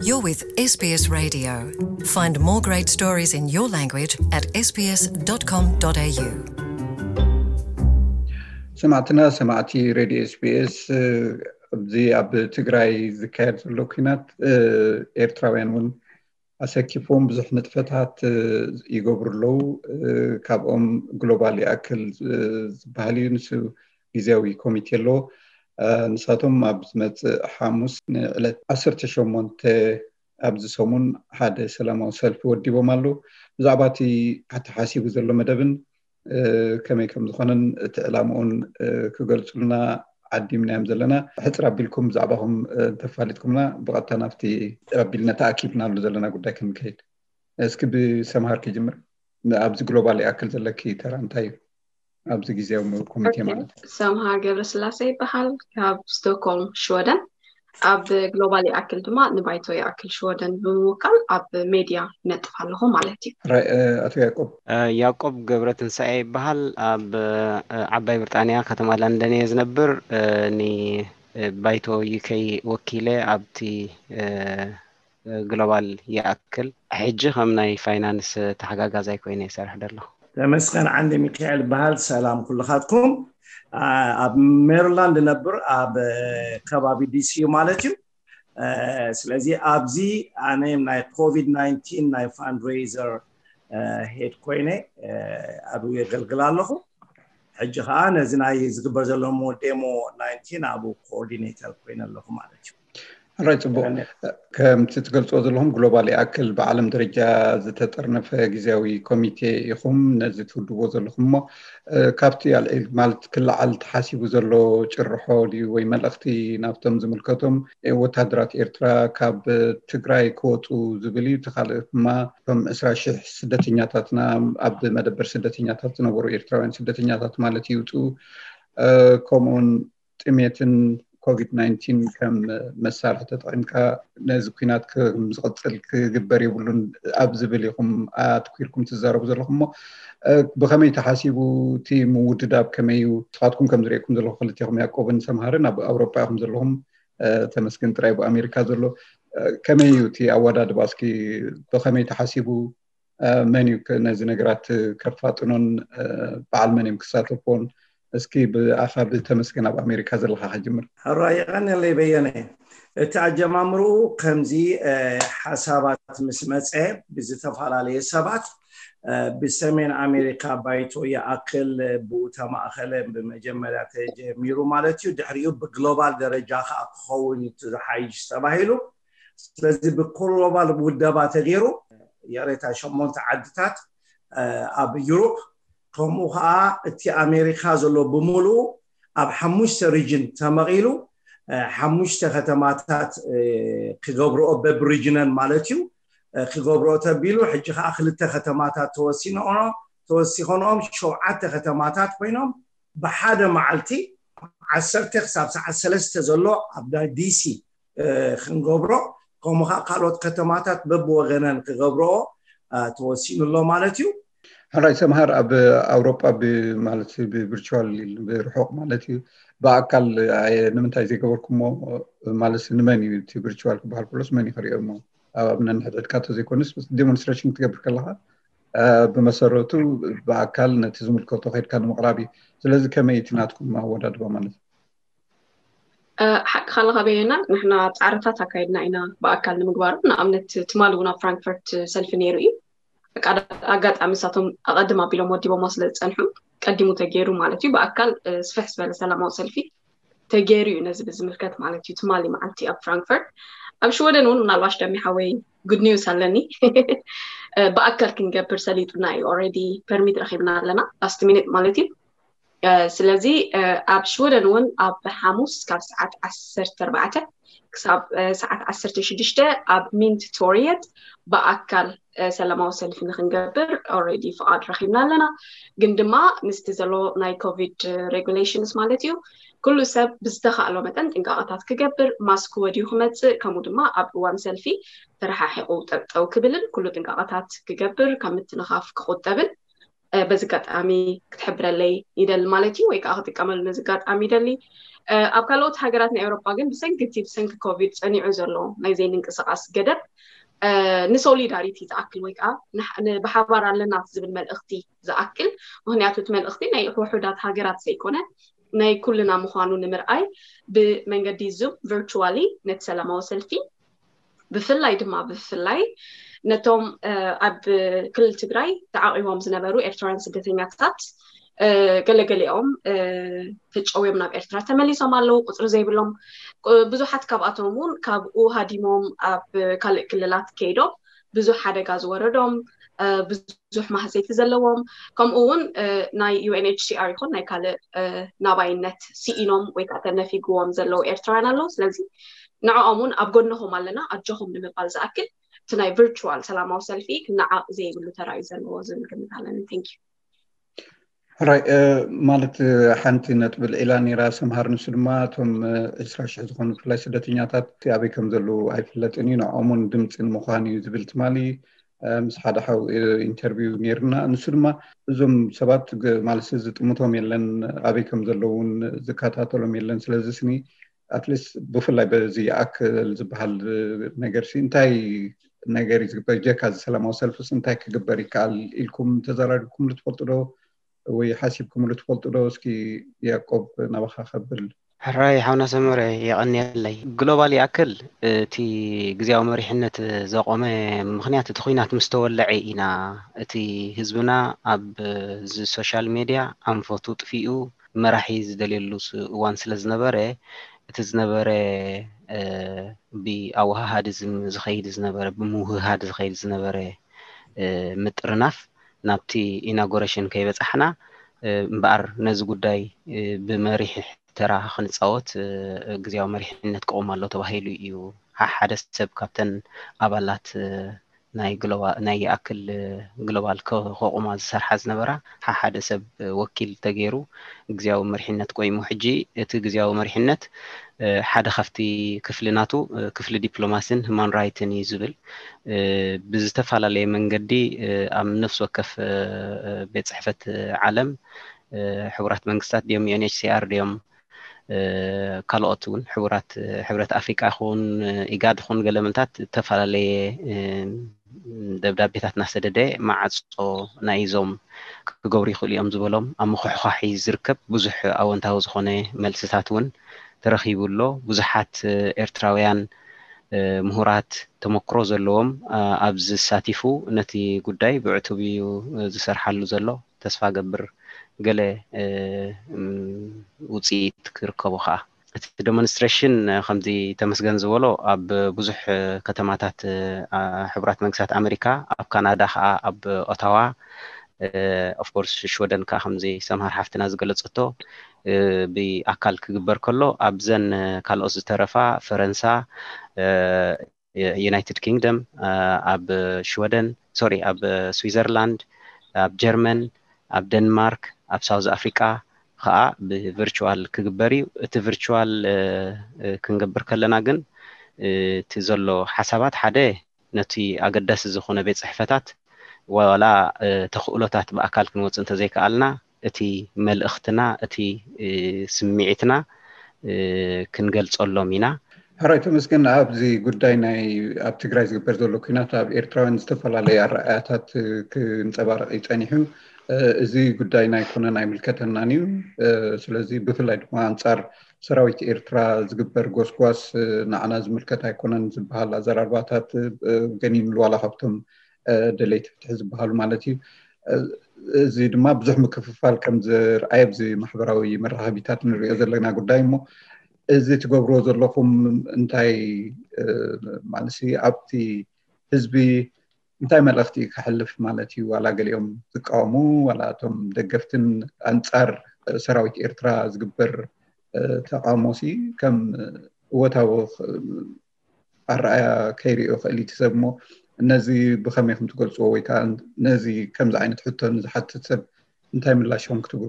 You're with S B S Radio. Find more great stories in your language at S B S dot com dot A U. ሰማዕትና ሰማዕቲ ሬድዮ ኤስቢኤስ፣ ኣብዚ ኣብ ትግራይ ዝካየድ ዘሎ ኩናት ኤርትራውያን እውን ኣሰኪፎም ብዙሕ ንጥፈታት ይገብሩ ኣለዉ። ካብኦም ግሎባል ይኣክል ዝበሃል እዩ። ንሱ ግዜያዊ ኮሚቴ ኣለዎ። ንሳቶም ኣብ ዝመፅእ ሓሙስ ንዕለት ዓሰርተ ሸሞንተ ኣብዚ ሰሙን ሓደ ሰላማዊ ሰልፊ ወዲቦም ኣለዉ። ብዛዕባ እቲ ተሓሲቡ ዘሎ መደብን ከመይ ከም ዝኾነን እቲ ዕላምኡን ክገልፁልና ዓዲምናዮም ዘለና። ሕፅር ኣቢልኩም ብዛዕባኹም እንተፋሊጥኩምና ብቐጥታ ናብቲ ኣቢልና ተኣኪብናሉ ዘለና ጉዳይ ክንከይድ። እስኪ ብሰምሃር ክጅምር። ኣብዚ ግሎባል ይኣክል ዘለኪ ተራ እንታይ እዩ? ኣብዚ ግዜያዊ ኮሚቴ ማለት ሰምሃር ገብረስላሴ ይበሃል፣ ካብ ስቶክሆልም ሽወደን። ኣብ ግሎባል ይኣክል ድማ ንባይቶ ይኣክል ሽወደን ብምውካል ኣብ ሜድያ ይነጥፍ ኣለኹ ማለት እዩ። ኣቶ ያቆብ ያቆብ ገብረ ትንሳኤ ይበሃል። ኣብ ዓባይ ብሪጣንያ ከተማ ለንደን እየ ዝነብር። ንባይቶ ዩኬ ወኪለ ኣብቲ ግሎባል ይኣክል ሕጂ ከም ናይ ፋይናንስ ተሓጋጋዛይ ኮይነ ይሰርሕ ደለኹ። ተመስገን ዓንዲ ሚካኤል በሃል። ሰላም ኩልኻትኩም። ኣብ ሜሪላንድ ነብር ኣብ ከባቢ ዲሲ ማለት እዩ። ስለዚ ኣብዚ ኣነ ናይ ኮቪድ ናይንቲን ናይ ፋንድሬዘር ሄድ ኮይነ ኣብኡ የገልግል ኣለኹ። ሕጂ ከዓ ነዚ ናይ ዝግበር ዘሎ ዴሞ ናይንቲን ኣብኡ ኮኦርዲኔተር ኮይነ ኣለኹ ማለት እዩ። ራይ ፅቡቅ። ከምቲ ትገልፅዎ ዘለኹም ግሎባል ይኣክል ብዓለም ደረጃ ዝተጠርነፈ ግዜያዊ ኮሚቴ ኢኹም ነዚ ትውድዎ ዘለኹም እሞ ካብቲ ኣልዒል ማለት ክለዓል ተሓሲቡ ዘሎ ጭርሖ ድዩ ወይ መልእኽቲ ናብቶም ዝምልከቶም ወታደራት ኤርትራ ካብ ትግራይ ክወፁ ዝብል እዩ። እቲ ካልእ ድማ እቶም ዕስራ ሽሕ ስደተኛታትና ኣብ መደበር ስደተኛታት ዝነበሩ ኤርትራውያን ስደተኛታት ማለት ይውፁ ከምኡውን ጥሜትን ኮቪድ ናይንቲን ከም መሳርሒ ተጠቒምካ ነዚ ኩናት ከም ዝቕፅል ክግበር የብሉን ኣብ ዝብል ኢኹም ኣትኪርኩም ትዛረቡ ዘለኹም እሞ ብኸመይ ተሓሲቡ እቲ ምውድዳብ ከመይ እዩ? ንስኻትኩም ከም ዝርእየኩም ዘለኹ ክልቴኹም ያቆብን ሰምሃርን ኣብ ኣውሮጳ ኢኹም ዘለኹም ተመስገን ጥራይ ብኣሜሪካ ዘሎ ከመይ እዩ እቲ ኣወዳድባ እስኪ ብኸመይ ተሓሲቡ መን እዩ ነዚ ነገራት ከፋጥኖን በዓል መን እዮም ክሳተፎን? እስኪ ብኣኻ ብተመስገን ኣብ ኣሜሪካ ዘለካ ከጅምር። ሕራይ የቐንየለይ በየነ። እቲ ኣጀማምርኡ ከምዚ ሓሳባት ምስ መፀ ብዝተፈላለየ ሰባት ብሰሜን ኣሜሪካ ባይቶ ይኣክል ብኡ ተማእኸለ ብመጀመርያ ተጀሚሩ ማለት እዩ። ድሕሪኡ ብግሎባል ደረጃ ከዓ ክኸውን እዩ ዝሓይሽ ተባሂሉ። ስለዚ ብግሎባል ውደባ ተገይሩ ይቕሬታ ሸሞንተ ዓድታት ኣብ ዩሮፕ ከምኡ ከዓ እቲ ኣሜሪካ ዘሎ ብምሉኡ ኣብ ሓሙሽተ ሪጅን ተመቒሉ ሓሙሽተ ከተማታት ክገብርኦ በብ ሪጅነን ማለት እዩ ክገብርኦ ተቢሉ ሕጂ ከዓ ክልተ ከተማታት ተወሲኖ ተወሲኾንኦም ሸውዓተ ከተማታት ኮይኖም ብሓደ መዓልቲ ዓሰርተ ክሳብ ሰዓት ሰለስተ ዘሎ ኣብ ናይ ዲሲ ክንገብሮ ከምኡ ከዓ ካልኦት ከተማታት በብወገነን ክገብርኦ ተወሲኑ ኣሎ ማለት እዩ። ሕራይ ሰምሃር ኣብ ኣውሮጳ ማለት ብቪርቹዋል ብርሑቕ ማለት እዩ ብኣካል ንምንታይ ዘይገበርኩሞ ማለት ንመን እዩ እቲ ቪርቹዋል ክበሃል ከሎስ መን እዩ ክሪኦ እሞ ኣብ ኣብነን ሕድሕድካ ተዘይኮነስ ዴሞንስትሬሽን ክትገብር ከለካ ብመሰረቱ ብኣካል ነቲ ዝምልከቶ ከድካ ንምቕራብ እዩ። ስለዚ ከመይ እቲ ናትኩም ኣወዳድባ ማለት እዩ? ሓቂ ካለካ በየና ንሕና ፃዕርታት ኣካይድና ኢና ብኣካል ንምግባሩ። ንኣብነት ትማሊ እውን ኣብ ፍራንክፈርት ሰልፊ ነይሩ እዩ። ኣጋጣሚ ንሳቶም ኣቐድም ኣቢሎም ወዲቦሞ ስለ ዝፀንሑ ቀዲሙ ተገይሩ ማለት እዩ። ብኣካል ስፍሕ ዝበለ ሰላማዊ ሰልፊ ተገይሩ እዩ ነዚ ብዝምልከት ማለት እዩ። ትማሊ መዓልቲ ኣብ ፍራንክፈርት ኣብ ሽወደን እውን ምናልባሽ ደሚ ሓወይ ጉድ ኒውስ ኣለኒ ብኣካል ክንገብር ሰሊጡና እዩ። ኦረዲ ፐርሚት ረኪብና ኣለና ላስት ሚኒት ማለት እዩ። ስለዚ ኣብ ሽወደን እውን ኣብ ሓሙስ ካብ ሰዓት ዓሰርተ ኣርባዕተ ክሳብ ሰዓት ዓሰርተ ሽዱሽተ ኣብ ሚንት ቶርየት ብኣካል ሰላማዊ ሰልፊ ንክንገብር ኦረዲ ፍቓድ ረኪብና ኣለና። ግን ድማ ምስቲ ዘሎ ናይ ኮቪድ ሬጉሌሽንስ ማለት እዩ ኩሉ ሰብ ብዝተካእሎ መጠን ጥንቃቐታት ክገብር ማስክ ወድዩ ክመፅእ ከምኡ ድማ ኣብ እዋን ሰልፊ ተረሓሒቑ ጠጠው ክብልን ኩሉ ጥንቃቐታት ክገብር ካብ ምትንኻፍ ክቁጠብን በዚ ኣጋጣሚ ክትሕብረለይ ይደሊ ማለት እዩ ወይ ከዓ ክጥቀመሉ ነዚ ኣጋጣሚ ይደሊ። ኣብ ካልኦት ሃገራት ናይ ኤውሮጳ ግን ብሰንኪ እቲ ብሰንኪ ኮቪድ ጸኒዑ ዘሎ ናይ ዘይምንቅስቓስ ገደብ ንሶሊዳሪቲ ዝኣክል ወይ ከዓ ብሓባር ኣለና ዝብል መልእኽቲ ዝኣክል። ምክንያቱ እቲ መልእኽቲ ናይ ውሑዳት ሃገራት ዘይኮነ ናይ ኩልና ምዃኑ ንምርኣይ ብመንገዲ ዙም ቨርቹዋሊ ነቲ ሰላማዊ ሰልፊ ብፍላይ ድማ ብፍላይ ነቶም ኣብ ክልል ትግራይ ተዓቂቦም ዝነበሩ ኤርትራውያን ስደተኛታት ገለገሊኦም ተጨውዮም ናብ ኤርትራ ተመሊሶም ኣለዉ። ቁፅሪ ዘይብሎም ብዙሓት ካብኣቶም እውን ካብኡ ሃዲሞም ኣብ ካልእ ክልላት ከይዶም ብዙሕ ሓደጋ ዝወረዶም ብዙሕ ማህሰይቲ ዘለዎም ከምኡ እውን ናይ ዩኤንኤችሲኣር ይኹን ናይ ካልእ ናባይነት ስኢኖም ወይ ከዓ ተነፊግዎም ዘለዉ ኤርትራውያን ኣለዉ። ስለዚ ንዕኦም እውን ኣብ ጎንኹም ኣለና ኣጆኹም ንምባል ዝኣክል እቲ ናይ ቨርቹዋል ሰላማዊ ሰልፊ ክነዓቕ ዘይብሉ ተራ እዩ ዘለዎ ዝብል ግምት ኣለኒ። Thank you። ሕራይ ማለት ሓንቲ ነጥቢ ልዒላ ነይራ ሰምሃር። ንሱ ድማ እቶም ዕስራ ሽሕ ዝኾኑ ብፍላይ ስደተኛታት ኣበይ ከም ዘለዉ ኣይፍለጥን እዩ፣ ንዕኦም እውን ድምፂ ንምዃን እዩ ዝብል ትማሊ ምስ ሓደ ሓው ኢንተርቪው ነይርና። ንሱ ድማ እዞም ሰባት ማለት ዝጥምቶም የለን፣ ኣበይ ከም ዘለዉ እውን ዝከታተሎም የለን። ስለዚ ስኒ ኣትሊስት ብፍላይ በዚ ይኣክል ዝበሃል ነገር እንታይ ነገር እዩ ዝግበር? ጀካ እዚ ሰላማዊ ሰልፍስ እንታይ ክግበር ይከኣል ኢልኩም ተዘራሪብኩምሉ ትፈልጡ ዶ ወይ ሓሲብኩምሉ ትፈልጡ ዶ? እስኪ ያዕቆብ ናባኻ ከብል። ሕራይ ሓውና ሰመረ የቐንየለይ። ግሎባል ይኣክል እቲ ግዜያዊ መሪሕነት ዘቆመ ምኽንያት እቲ ኹናት ምስ ተወለዐ ኢና። እቲ ህዝብና ኣብ ሶሻል ሜድያ ኣንፈቱ ጥፊኡ መራሒ ዝደልየሉ እዋን ስለ ዝነበረ እቲ ዝነበረ ብኣወሃሃዲ ዝኸይድ ዝነበረ ብምውህሃድ ዝኸይድ ዝነበረ ምጥርናፍ ናብቲ ኢናጎሬሽን ከይበፃሕና እምበኣር ነዚ ጉዳይ ብመሪሕ ተራ ክንፃወት ግዜያዊ መሪሕነት ክቆም ኣሎ ተባሂሉ እዩ። ሓደ ሰብ ካብተን ኣባላት ናይ ይኣክል ግሎባል ከቆማ ዝሰርሓ ዝነበራ ሓደ ሰብ ወኪል ተገይሩ ግዜያዊ መሪሕነት ቆይሙ። ሕጂ እቲ ግዜያዊ መሪሕነት ሓደ ካብቲ ክፍሊ ናቱ ክፍሊ ዲፕሎማሲን ሁማን ራይትን እዩ ዝብል ብዝተፈላለየ መንገዲ ኣብ ነፍሲ ወከፍ ቤት ፅሕፈት ዓለም ሕቡራት መንግስታት ድዮም ዩኤንኤችሲኣር ድዮም ካልኦት እውን ሕቡራት ሕብረት ኣፍሪቃ ይኹን ኢጋድ ይኹን ገለ ምንታት ዝተፈላለየ ደብዳቤታት እናሰደደ ማዕፆ ናይ እዞም ክገብሩ ይኽእሉ እዮም ዝበሎም ኣብ ምኹሕኳሕ እዩ ዝርከብ። ብዙሕ ኣወንታዊ ዝኾነ መልስታት እውን ተረኺቡ ኣሎ። ብዙሓት ኤርትራውያን ምሁራት ተመክሮ ዘለዎም ኣብዚ ዝሳቲፉ ነቲ ጉዳይ ብዕቱብ እዩ ዝሰርሓሉ ዘሎ። ተስፋ ገብር ገለ ውፅኢት ክርከቦ ከዓ እቲ ዴሞንስትሬሽን ከምዚ ተመስገን ዝበሎ ኣብ ብዙሕ ከተማታት ሕቡራት መንግስታት ኣሜሪካ ኣብ ካናዳ ከዓ ኣብ ኦታዋ ኦፍኮርስ ሽወደን ከዓ ከምዚ ሰምሃር ሓፍትና ዝገለፀቶ ብኣካል ክግበር ከሎ ኣብዘን ካልኦት ዝተረፋ ፈረንሳ ዩናይትድ ኪንግደም ኣብ ሽወደን ሶሪ ኣብ ስዊዘርላንድ ኣብ ጀርመን ኣብ ደንማርክ ኣብ ሳውዝ ኣፍሪቃ ከዓ ብቨርቹዋል ክግበር እዩ። እቲ ቨርቹዋል ክንገብር ከለና ግን እቲ ዘሎ ሓሳባት ሓደ ነቲ ኣገዳሲ ዝኾነ ቤት ፅሕፈታት ዋላ ተኽእሎታት ብኣካል ክንወፅእ እንተዘይከኣልና እቲ መልእኽትና እቲ ስምዒትና ክንገልፀሎም ኢና። ሕራይ ተመስገን። ኣብዚ ጉዳይ ናይ ኣብ ትግራይ ዝግበር ዘሎ ኩናት ኣብ ኤርትራውያን ዝተፈላለዩ ኣረኣያታት ክንፀባረቕ ይፀኒሑ። እዚ ጉዳይ ናይ ኮነን ኣይምልከተናን እዩ። ስለዚ ብፍላይ ድማ ኣንፃር ሰራዊት ኤርትራ ዝግበር ጎስጓስ ንዓና ዝምልከት ኣይኮነን ዝበሃል ኣዘራርባታት ገኒንሉ ዋላ ካብቶም ደለይቲ ፍትሒ ዝበሃሉ ማለት እዩ። እዚ ድማ ብዙሕ ምክፍፋል ከም ዝርኣየ ኣብዚ ማሕበራዊ መራኸቢታት ንሪኦ ዘለና ጉዳይ እሞ እዚ ትገብርዎ ዘለኹም እንታይ ማለት ኣብቲ ህዝቢ እንታይ መልእኽቲ እዩ ከሕልፍ ማለት እዩ? ዋላ ገሊኦም ዝቃወሙ ዋላ እቶም ደገፍትን ኣንፃር ሰራዊት ኤርትራ ዝግበር ተቃውሞ ሲ ከም እወታዊ ኣረኣያ ከይርእዮ ክእል እዩ እቲ ሰብ እሞ ነዚ ብኸመይ ከም ትገልፅዎ ወይ ከዓ ነዚ ከምዚ ዓይነት ሕቶ ንዝሓትት ሰብ እንታይ ምላሽ ከም ክትብሉ?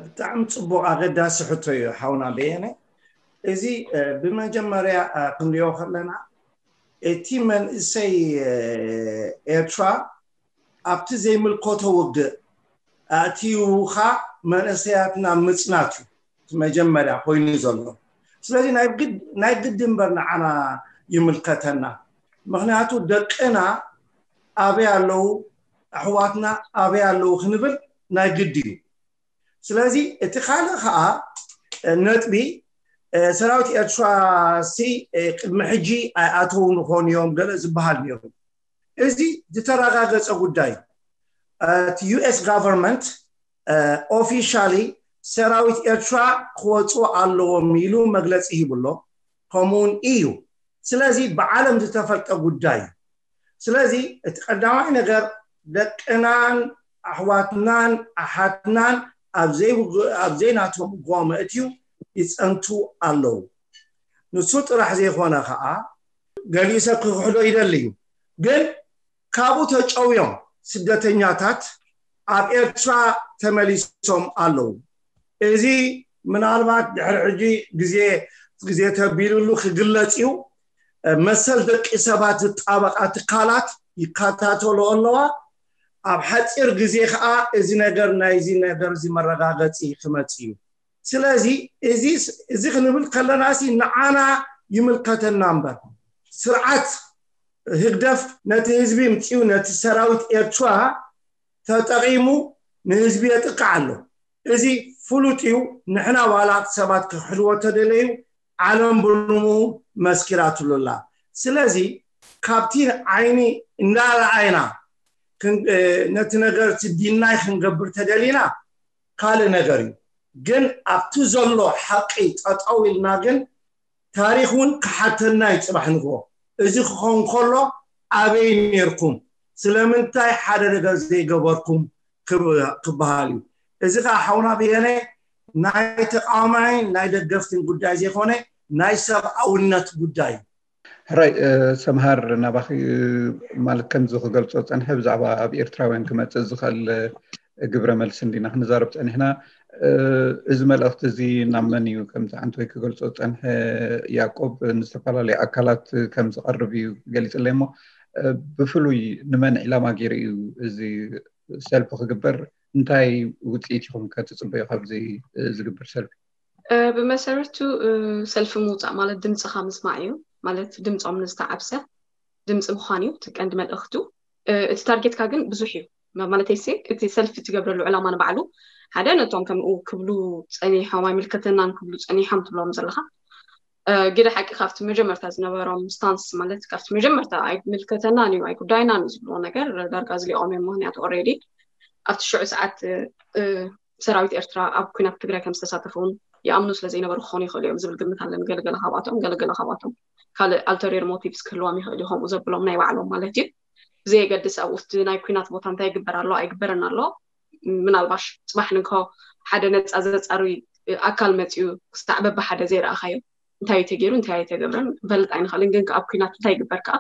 ብጣዕሚ ፅቡቅ ኣገዳሲ ሕቶ እዩ ሓውና በየነ። እዚ ብመጀመርያ ክንሪኦ ከለና እቲ መንእሰይ ኤርትራ ኣብቲ ዘይምልከቶ ውግእ ኣእትይውኻ መንእሰያትና ምፅናት እዩ። መጀመርያ ኮይኑ ዘሎ። ስለዚ ናይ ግድ እምበር ንዓና ይምልከተና። ምኽንያቱ ደቅና ኣበይ ኣለዉ፣ ኣሕዋትና ኣበይ ኣለዉ ክንብል ናይ ግድ እዩ። ስለዚ እቲ ካልእ ከዓ ነጥቢ፣ ሰራዊት ኤርትራ ሲ ቅድሚ ሕጂ ኣይኣተውን ይኾኑ እዮም ገለ ዝበሃል ነይሩ። እዚ ዝተረጋገፀ ጉዳይ እዩ። እቲ ዩ ኤስ ጋቨርንመንት ኦፊሻሊ ሰራዊት ኤርትራ ክወፁ ኣለዎም ኢሉ መግለፂ ሂቡ ኣሎ። ከምኡውን እዩ። ስለዚ ብዓለም ዝተፈልጠ ጉዳይ እዩ። ስለዚ እቲ ቀዳማይ ነገር ደቅናን ኣሕዋትናን ኣሓትናን ኣብ ዘይናቶም ጎመ እትዩ ይፀንቱ ኣለዉ። ንሱ ጥራሕ ዘይኮነ ከዓ ገሊኡ ሰብ ክክሕዶ ይደሊ እዩ። ግን ካብኡ ተጨውዮም ስደተኛታት ኣብ ኤርትራ ተመሊሶም ኣለዉ። እዚ ምናልባት ድሕሪ ሕጂ ግዜ ግዜ ተቢሉሉ ክግለጽ እዩ። መሰል ደቂ ሰባት ዝጣበቃ ትካላት ይከታተሎ ኣለዋ። ኣብ ሓፂር ግዜ ከዓ እዚ ነገር ናይዚ ነገር እዚ መረጋገፂ ክመፅ እዩ። ስለዚ እዚ ክንብል ከለና ሲ ንዓና ይምልከተና እምበር ስርዓት ህግደፍ ነቲ ህዝቢ ምፅኡ ነቲ ሰራዊት ኤርትራ ተጠቒሙ ንህዝቢ የጥቅዕ ኣሎ። እዚ ፍሉጥ እዩ። ንሕና ዋላ ሰባት ክሕልዎ ተደለዩ ዓለም ብልሙ መስኪራትሉ ኣላ። ስለዚ ካብቲ ዓይኒ እንዳረኣይና ነቲ ነገር ዲናይ ክንገብር ተደሊና ካልእ ነገር እዩ። ግን ኣብቲ ዘሎ ሓቂ ጠጠው ኢልና ግን ታሪኽ እውን ክሓተና እዩ። ፅባሕ ንግሆ እዚ ክኸውን ከሎ ኣበይ ነርኩም፣ ስለምንታይ ሓደ ነገር ዘይገበርኩም ክበሃል እዩ። እዚ ከዓ ሓውና ብየነ ናይ ተቃዋማይን ናይ ደገፍትን ጉዳይ ዘይኮነ ናይ ሰብኣውነት ጉዳይ እዩ። ሕራይ ሰምሃር ናባኺ ማለት ከምዚ ክገልጾ ጸንሐ ብዛዕባ ኣብ ኤርትራውያን ክመጽእ ዝኽእል ግብረ መልሲ እንዲና ክንዛረብ ጸኒሕና። እዚ መልእኽቲ እዚ ናብ መን እዩ ከምዚ ዓንተወይ ክገልጾ ጸንሐ? ያዕቆብ ንዝተፈላለዩ ኣካላት ከም ዝቐርብ እዩ ገሊጽለይ እሞ ብፍሉይ ንመን ዒላማ ገይሩ እዩ እዚ ሰልፊ ክግበር? እንታይ ውፅኢት ኢኹም ከ ትፅበዩ ካብዚ ዝግበር ሰልፊ? ብመሰረቱ ሰልፊ ምውፃእ ማለት ድምፅኻ ምስማዕ እዩ። ማለት ድምፆም ንዝተዓብሰ ድምፂ ምዃን እዩ እቲ ቀንዲ መልእኽቱ። እቲ ታርጌትካ ግን ብዙሕ እዩ። ማለተይሲ እቲ ሰልፊ ትገብረሉ ዕላማ ንባዕሉ ሓደ ነቶም ከምኡ ክብሉ ፀኒሖም ኣይምልከተናን ክብሉ ፀኒሖም ትብሎም ዘለኻ ግደ ሓቂ ካብቲ መጀመርታ ዝነበሮም ስታንስ ማለት ካብቲ መጀመርታ ኣይምልከተናን እዩ ኣይጉዳይናን እዩ ዝብልዎ ነገር ዳርጋ ዝሊኦም እዮም። ምክንያቱ ኦሬዲ ኣብቲ ሽዑ ሰዓት ሰራዊት ኤርትራ ኣብ ኩናት ትግራይ ከም ዝተሳተፉ እውን ይኣምኑ ስለ ዘይነበሩ ክኾኑ ይኽእሉ እዮም ዝብል ግምት ኣለኒ። ገለገለ ካብኣቶም ገለገለ ካብኣቶም ካልእ ኣልተሪየር ሞቲቭስ ክህልዎም ይኽእል እዩ ከምኡ ዘብሎም ናይ ባዕሎም ማለት እዩ። ብዘየገድስ ኣብኡ ናይ ኩናት ቦታ እንታይ ይግበር ኣሎ ኣይግበርን ኣሎ ምናልባሽ ፅባሕ ንግሆ ሓደ ነፃ ዘፃሪ ኣካል መፅኡ ክሳዕ በብሓደ ዘይረኣኻዮ እንታይ እዩ ተገይሩ እንታይ ኣይተገብረን ክንፈልጥ ኣይንኽእልን። ግን ኣብ ኩናት እንታይ ይግበር ከዓ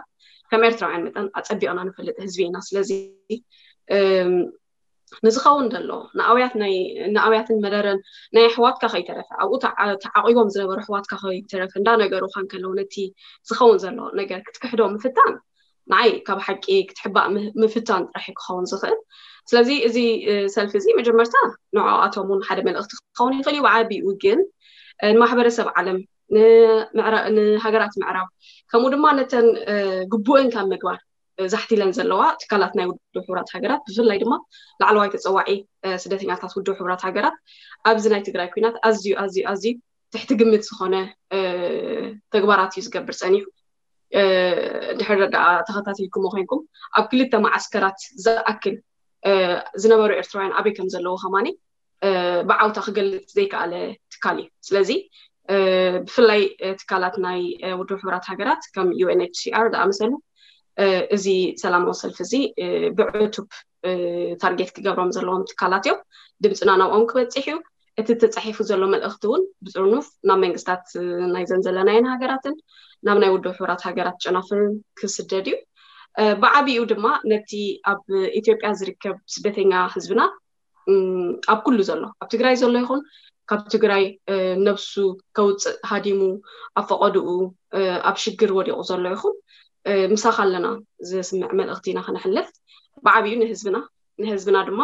ከም ኤርትራውያን መጠን ኣፀቢቕና ንፈልጥ ህዝቢ ኢና። ስለዚ ንዝኸውን ዘሎ ንኣውያት ናይ ንኣውያትን መደረን ናይ ኣሕዋትካ ከይተረፈ ኣብኡ ተዓቂቦም ዝነበሩ ኣሕዋትካ ከይተረፈ እንዳነገሩካ እንከለዉ ነቲ ዝኸውን ዘሎ ነገር ክትክሕዶ ምፍታን ንዓይ ካብ ሓቂ ክትሕባእ ምፍታን ጥራሕ ክኸውን ዝኽእል። ስለዚ እዚ ሰልፊ እዚ መጀመርታ ንዕኣቶም እውን ሓደ መልእኽቲ ክኸውን ይኽእል እዩ። ብዓቢኡ ግን ንማሕበረሰብ ዓለም ንሃገራት ምዕራብ ከምኡ ድማ ነተን ግቡእን ካብ ምግባር ዛሕቲለን ዘለዋ ትካላት ናይ ውድብ ሕቡራት ሃገራት ብፍላይ ድማ ላዕለዋይ ተፀዋዒ ስደተኛታት ውድብ ሕቡራት ሃገራት ኣብዚ ናይ ትግራይ ኩናት ኣዝዩ ኣዝዩ ኣዝዩ ትሕቲ ግምት ዝኾነ ተግባራት እዩ ዝገብር ፀኒሑ። ድሕር ደኣ ተኸታቲልኩሞ ኮይንኩም ኣብ ክልተ መዓስከራት ዝኣክል ዝነበሩ ኤርትራውያን ኣበይ ከም ዘለዉ ከማኒ ብዓውታ ክገልፅ ዘይከኣለ ትካል እዩ። ስለዚ ብፍላይ ትካላት ናይ ውድብ ሕቡራት ሃገራት ከም ዩ ኤን ኤች ሲ ኣር ዝኣመሰሉ እዚ ሰላማዊ ሰልፊ እዚ ብዕቱብ ታርጌት ክገብሮም ዘለዎም ትካላት እዮም። ድምፅና ናብኦም ክበፅሕ እዩ። እቲ ተፃሒፉ ዘሎ መልእኽቲ እውን ብፅርኑፍ ናብ መንግስታት ናይዘን ዘለናየን ሃገራትን ናብ ናይ ውድብ ሕቡራት ሃገራት ጨናፍርን ክስደድ እዩ። ብዓቢኡ ድማ ነቲ ኣብ ኢትዮጵያ ዝርከብ ስደተኛ ህዝብና ኣብ ኩሉ ዘሎ ኣብ ትግራይ ዘሎ ይኹን ካብ ትግራይ ነብሱ ከውፅእ ሃዲሙ ኣብ ፈቐድኡ ኣብ ሽግር ወዲቑ ዘሎ ይኹን ምሳኻ ኣለና ዝስምዕ መልእኽቲ ኢና ከነሕልፍ። ብዓብዩ ንህዝብና ንህዝብና ድማ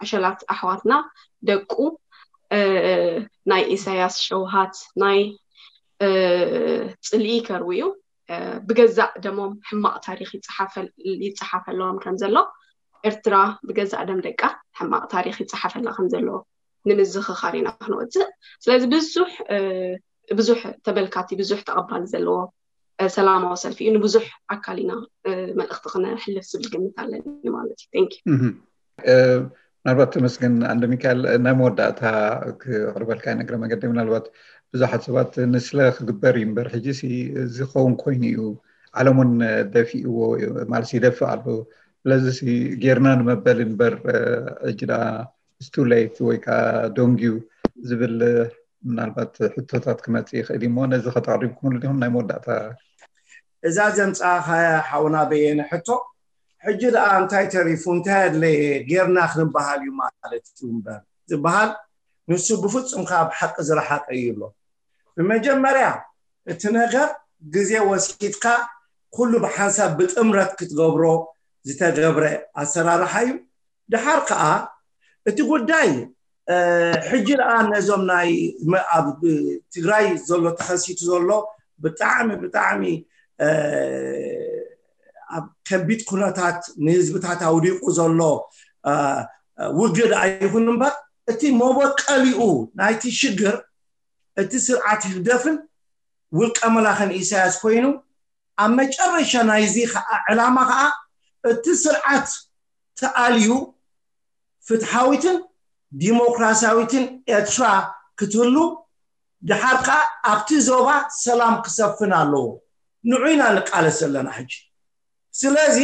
ዕሸላት ኣሕዋትና ደቁ እ፣ ናይ ኢሳያስ ሸውሃት ናይ፣ እ፣ ጽልኢ ከርውዩ፣ እ፣ ብገዛእ ደሞም ሕማቕ ታሪኽ ይጸሓፈል-፣ ይጸሓፈሎም ከም ዘሎ፣ ኤርትራ ብገዛእ ደም ደቃ ሕማቕ ታሪኽ ይጸሓፈላ ከም ዘሎ ንምዝኽኻር ኢና ክንወጽእ። ስለዚ ብዙሕ፣ እ፣ ብዙሕ ተመልካቲ፣ ብዙሕ ተቐባሊ ዘለዎ፣ እ፣ ሰላማዊ ሰልፊ እዩ። ንብዙሕ ኣካል ኢና፣ እ፣ መልእኽቲ ክነሕልፍ ዝብል ግምት ኣለኒ ማለት እዩ። Thank you። እህ። እ፣ ምናልባት ተመስገን ኣንደ ሚካኤል፣ ናይ መወዳእታ ክቕርበልካ እየ፣ እግረ መገዲ ምናልባት ብዙሓት ሰባት ንስለ ክግበር እዩ እምበር፣ ሕጂ ሲ ዝኸውን ኮይኑ እዩ፣ ዓለም እውን ደፊእዎ እዩ፣ ማለት ይደፍእ ኣሎ። ስለዚ ሲ ጌርና ንመበል እምበር፣ እ፣ ሕጂ ደኣ it's too late ወይ ከዓ ዶንጊዩ ዝብል ምናልባት ሕቶታት ክመጽእ ይኽእል እዩ እሞ፣ ነዚ ከተቕሪብኩምሉ ዲኹም? ናይ መወዳእታ። እዛ ዘምጻእኻያ ሓውና በየነ ሕቶ፣ ሕጂ ደኣ እንታይ ተሪፉ፣ እንታይ ኣድለየ፣ ጌርና ክንበሃል እዩ ማለት እዩ እምበር ዝበሃል፣ ንሱ ብፍጹም ካብ ሓቂ ዝረሓቀ እዩ ኣሎ። ብመጀመርያ፣ እቲ ነገር ግዜ ወሲድካ ኩሉ ብሓንሳብ ብጥምረት ክትገብሮ ዝተገብረ ኣሰራርሓ እዩ። ድሓር ከኣ እቲ ጉዳይ፣ እ፣ ሕጂ ደኣ ነዞም ናይ መ-፣ ኣብ ትግራይ ዘሎ ተኸሲቱ ዘሎ ብጣዕሚ፣ ብጣዕሚ፣ እ፣ ኣብ ከቢድ ኩነታት ንህዝብታት ኣውዲቑ ዘሎ፣ እ፣ ውግእ ደኣ ይኹን እምበር፣ እቲ መበቀሊኡ ናይቲ ሽግር እቲ ስርዓት ህግደፍን ውልቀ መላኽን ኢሳያስ ኮይኑ፣ ኣብ መጨረሻ ናይዚ ኸዓ ዕላማ ኸዓ እቲ ስርዓት ተኣልዩ ፍትሓዊትን ዲሞክራሲያዊትን ኤርትራ ክትህሉ፣ ድሓር ከኣ ኣብቲ ዞባ ሰላም ክሰፍን ኣለዎ። ንዑ ኢና ንቃለስ ዘለና ሕጂ። ስለዚ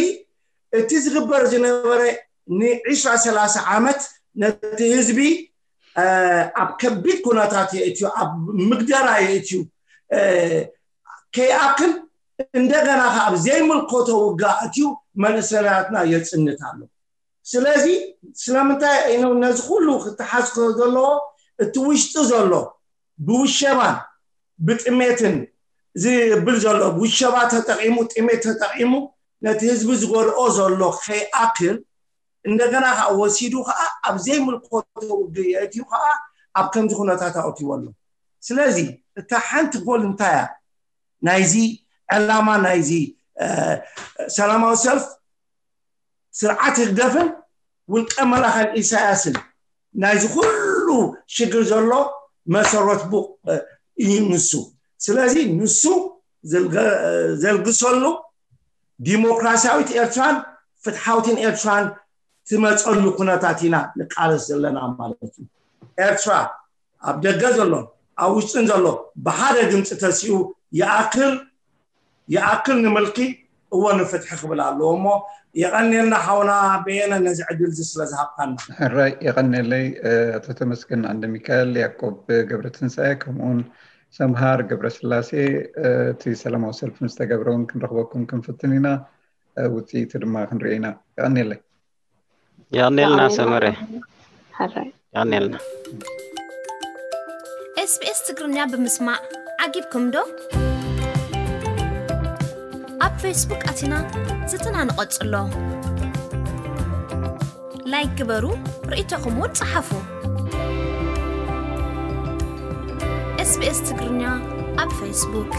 እቲ ዝግበር ዝነበረ ንዒስራ ሰላሳ ዓመት ነቲ ህዝቢ፣ እ፣ ኣብ ከቢድ ኩነታት የእትዩ፣ ኣብ ምግደራ የእትዩ፣ እ፣ ከይኣክል እንደገና ከኣ ኣብ ዘይምልከቶ ውግእ ኣእትዩ መንእሰያትና የጽንት ኣሎ። ስለዚ ስለምንታይ እዩ ነዚ ኩሉ ክተሓዝ ዘለዎ? እቲ ውሽጢ ዘሎ ብውሸባን ብጥሜትን ዝብል ዘሎ፣ ውሸባ ተጠቒሙ፣ ጥሜት ተጠቒሙ ነቲ ህዝቢ ዝጎድኦ ዘሎ ከይኣክል፣ እንደገና ከኣ ወሲዱ ከኣ ኣብ ዘይምልከቶ ውግእ የእትዩ ከኣ ኣብ ከምዚ ኩነታት ኣእትይዎ ኣሎ። ስለዚ እታ ሓንቲ ጎል እንታይ እያ? ናይዚ ዕላማ ናይዚ፣ እ፣ ሰላማዊ ሰልፍ ስርዓት ህግደፍን ውልቀ መላኸን ኢሳያስን ናይዚ ኩሉ ሽግር ዘሎ መሰረት ቡ-፣ እ፣ እዩ ንሱ። ስለዚ ንሱ ዘልገ-፣ ዘልግሰሉ ዲሞክራሲያዊት ኤርትራን ፍትሓዊትን ኤርትራን ትመጸሉ ኩነታት ኢና ንቃለስ ዘለና ማለት እዩ። ኤርትራ ኣብ ደገ ዘሎ ኣብ ውሽጥን ዘሎ ብሓደ ድምፂ ተሲኡ ይኣክል፣ ይኣክል ንምልኪ እወ ንፍትሒ ክብል ኣለዎ እሞ፣ የቐንየልና ሓውና በየነ ነዚ ዕድል እዚ ስለ ዝሃብካና። ሕራይ የቐንየለይ፣ እ፣ ኣቶ ተመስገን ኣንደ ሚካኤል፣ ያዕቆብ ገብረ ትንሳኤ፣ ከምኡውን ሰምሃር ገብረ ስላሴ፣ እ፣ እቲ ሰላማዊ ሰልፊ ምስ ተገብረ እውን ክንረኽበኩም ክንፍትን ኢና፣ እ፣ ውፅኢቱ ድማ ክንርኢ ኢና። የቐንየለይ። የቐንየልና ሰመረ። ሕራይ። የቐንየልና። ኤስቢኤስ ትግርኛ ብምስማዕ ዓጊብኩም ዶ? ኣብ ፌስቡክ ኣቲና ዝትና ንቐጽሎ። ላይክ ግበሩ፣ ርእይቶኹም እውን ጸሓፉ። ኤስቢኤስ ትግርኛ ኣብ ፌስቡክ።